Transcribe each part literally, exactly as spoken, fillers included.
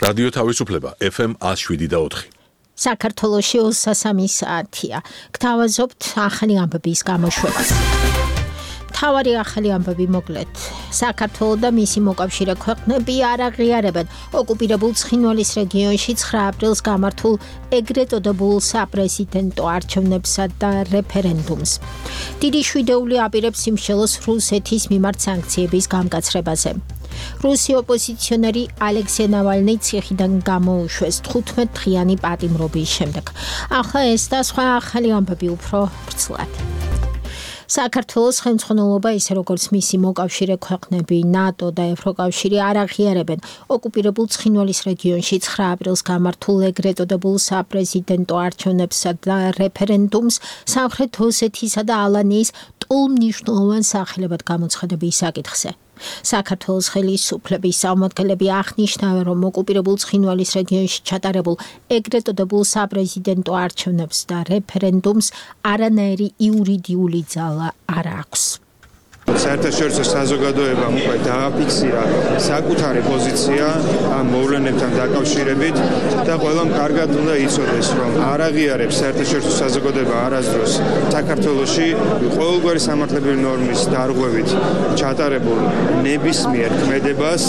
რადიო თავისუფლება F M one oh seven და four. საქართველოში ოცდასამი საათია. გთავაზობთ ახალი ამბების გამოშვებას. თავარი ახალი ამბები მოკლედ. საქართველო და მისი მოკავშირე ქვეყნები არ აღიარებენ ოკუპირებულ ცხინვალის რეგიონში ცხრა აპრილს გამართულ ეგრეთ წოდებულ საპრეზიდენტო არჩევნებსა და რეფერენდუმს. დიდი შვიდეული აპირებს სიმშელოს რუსეთის მიმართ სანქციების გამკაცრებაზე. რუსი ოპოზიციონერი ალექსეი ნავალნი ციხიდან გამოუშვეს თხუთმეტ დღიანი პატიმრობის შემდეგ. ახლა ეს და სხვა ახალი ამბები უფრო ვრცლად. საქართველოს ხელმძღვანელობა ისე როგორც მისი მოკავშირე ქვეყნები ნატო და ევროკავშირი არ აღიარებენ ოკუპირებულ ცხინვალის რეგიონში ცხრა აპრილს გამართულ ეგრეთ წოდებულ საპრეზიდენტო არჩევნებსა და რეფერენდუმს სამხრეთ ოსეთისა და ალანიის ტოლმნიშნულოვან სახელებად გამოცხადების საკითხზე. საქართველოს ხელისუფლების წარმომადგენლები აღნიშნავენ, რომ ოკუპირებულ ცხინვალის რეგიონში ჩატარებულ ეგრეთ წოდებულ საპრეზიდენტო არჩევნებს და რეფერენდუმს არანაირი იურიდიული ძალა არ აქვს. საერთაშორისო საზოგადოებამ უკვე დააფიქსირა საკუთარი პოზიცია ამ მოვლენებთან დაკავშირებით და ყველამ კარგად უნდა იცოდეს, რომ არ აღიარებს საერთაშორისო საზოგადოება არასდროს საქართველოში ყოველგვარი სამართლებრივი ნორმის დარღვევით ჩატარებულ ნებისმიერ ქმედებას.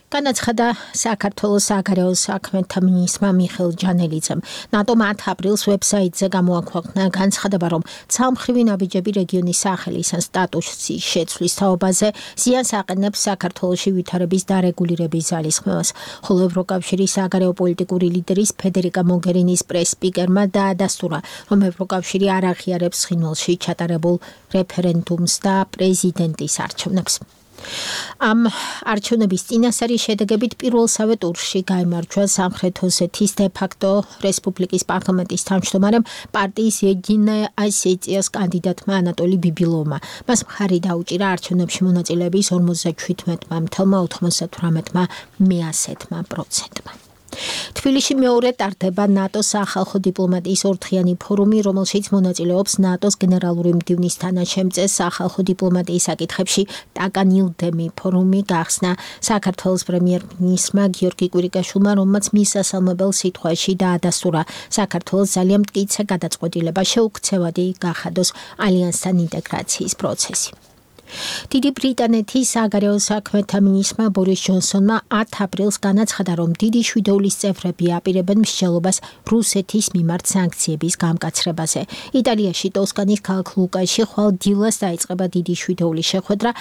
განაცხადა საქართველოს საგარეო საქმეთა მინისტრმა მიხეილ ჯანელიძემ. ნატომ ათ აპრილს ვებსაიტზე გამოაქვეყნა განცხადება, რომ ცალმხრივი ნაბიჯები რეგიონის სახელის ან სტატუსის შეცვლის თაობაზე ზიანს აყენებს საქართველოში ვითარების დარეგულირების ძალისხმევას, ხოლო ევროკავშირის საგარეო პოლიტიკური ლიდერის ფედერიკა მოგერინის პრეს-სპიკერმა დაადასტურა, რომ ევროკავშირი არ აღიარებს ცხინვალში ჩატარებულ რეფერენდუმს და პრეზიდენტის არჩევნებს. ამ არჩევნების წინასწარი შედეგებით პირველსავე ტურში გაიმარჯვა სამხრეთ ოსეთის დე-ფაქტო რესპუბლიკის პარლამენტის თავმჯდომარემ პარტიის Единая Осетия კანდიდატმა ანატოლი ბიბილოვმა. მას მხარი დაუჭირა არჩევნებში მონაწილეების ორმოცდაჩვიდმეტ ათეულმა ოცდათვრამეტმა მეასეთმა პროცენტმა. თბილისში მეორე ტარდება ნატოს სახალხო დიპლომატიის ორდღიანი ფორუმი, რომელშიც მონაწილეობს ნატოს გენერალური მდივნის თანაშემწე სახალხო დიპლომატიის საკითხებში ტაკა ნილდემი. ფორუმი გახსნა საქართველოს პრემიერ-მინისტრმა გიორგი კვირიკაშვილმა, რომელმაც მისასალმებელ სიტყვაში დაადასტურა საქართველოს ძალიან მტკიცე გადაწყვეტილება შეუქცევადი გახადოს ალიანსთან ინტეგრაციის პროცესი. დიდი ბრიტანეთის საგარეო საქმეთა მინისტრმა ბორის ჯონსონმა ათ აპრილს განაცხადა, რომ დიდი შვიდეულის წევრები აპირებენ მსჯელობას რუსეთის მიმართ სანქციების გამკაცრებაზე. იტალიაში ტოსკანის ქალაქ ლუკაში ხვალ დილას დაიწყება დიდი შვიდეულის შეხვედრა.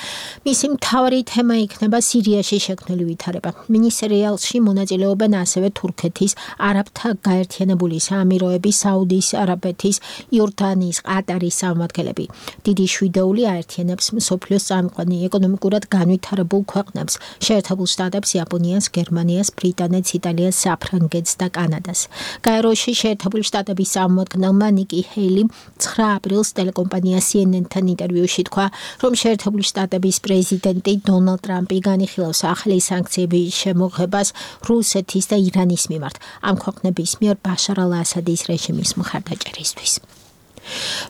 მისი მთავარი თემა იქნება სირიაში შექმნილი ვითარება. მინისტრიალში მონაწილეობენ ასევე თურქეთის, არაბთა გაერთიანებული საამიროების, საუდის არაბეთის, იორდანიის, ყატარის წარმომადგენლები. დიდი შვიდეული აერთიანებს მსოფლიოს წამყვანი ეკონომიკურად განვითარებულ ქვეყნებს, შეერთებულ შტატებს, იაპონიას, გერმანიას, ბრიტანეთს, იტალიას, საფრანგეთს და კანადას. გაეროში შეერთებული შტატების წარმომადგენელმა ნიკი ჰეილიმ ცხრა აპრილს ტელეკომპანია C N N-თან ინტერვიუში თქვა, რომ შეერთებული შტატების პრეზიდენტი დონალდ ტრამპი განიხილავს ახალი სანქციების შემოღებას რუსეთის და ირანის მიმართ, ამ ქვეყნების მიერ ბაშარ ალ-ასადის რეჟიმის მხარდაჭერისთვის.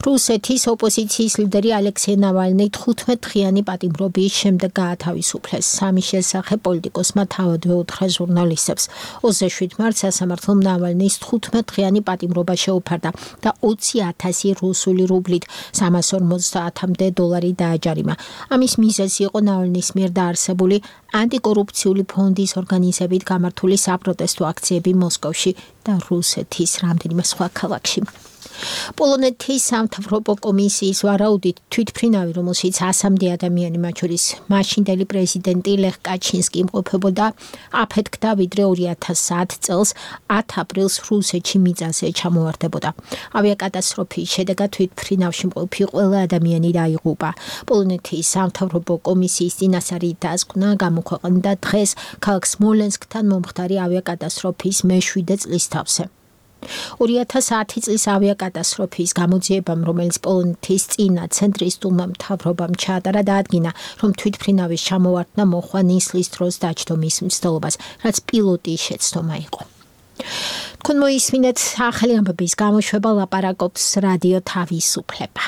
რუსეთის ოპოზიციის ლიდერი ალექსეი ნავალნი თხუთმეტ დღიანი პატიმრობის შემდეგ გაათავისუფლეს. სამის შესახებ პოლიტიკოსმა თავადვე უთხრა ჟურნალისტებს. ოცდაშვიდ მარტს სასამართლომ ნავალნის თხუთმეტ დღიანი პატიმრობა შეუფარდა და ოცი ათასი რუსული რუბლით სამას ორმოცდაათამდე დოლარი დააჯარიმა. ამის მიზეზი იყო ნავალნის მიერ დაარსებული ანტიკორუფციული ფონდის ორგანიზებით გამართული საპროტესტო აქციები მოსკოვში და რუსეთის რამდენიმე სხვა ქალაქში. პოლონეთის სამთავრობო კომისიის ვარაუდით თვითმფრინავი, რომელშიც ასამდე ადამიანი, მათ შორის მაშინდელი პრეზიდენტი ლეხ კაჩინსკი იმყოფებოდა, აფეთქდა ვიდრე ორი ათას ათ წელს ათ აპრილს რუსეთში მიწაზე ჩამოვარდებოდა. ავიაკატასტროფის შედეგად თვითმფრინავში მყოფი ყველა ადამიანი დაიღუპა. პოლონეთის სამთავრობო კომისიის წინასწარი დასკვნა გამოქვეყნდა დღეს ქალაქ სმოლენსკთან მომხდარი ავიაკატასტროფის მეშვიდე წლისთავზე. ორი ათას ათი წლის ავიაკატასტროფის გამოძიებამ, რომელიც პოლონეთის წინა ცენტრისტულმა მთავრობამ ჩაატარა, დაადგინა, რომ თვითმფრინავის ჩამოვარდნა მოჰყვა ნისლის დროს დაჯდომის მცდელობას, რაც პილოტის შეცდომა იყო. თქვენ მოისმინეთ ახალი ამბების გამოშვება, ლაპარაკობს რადიო თავისუფლება.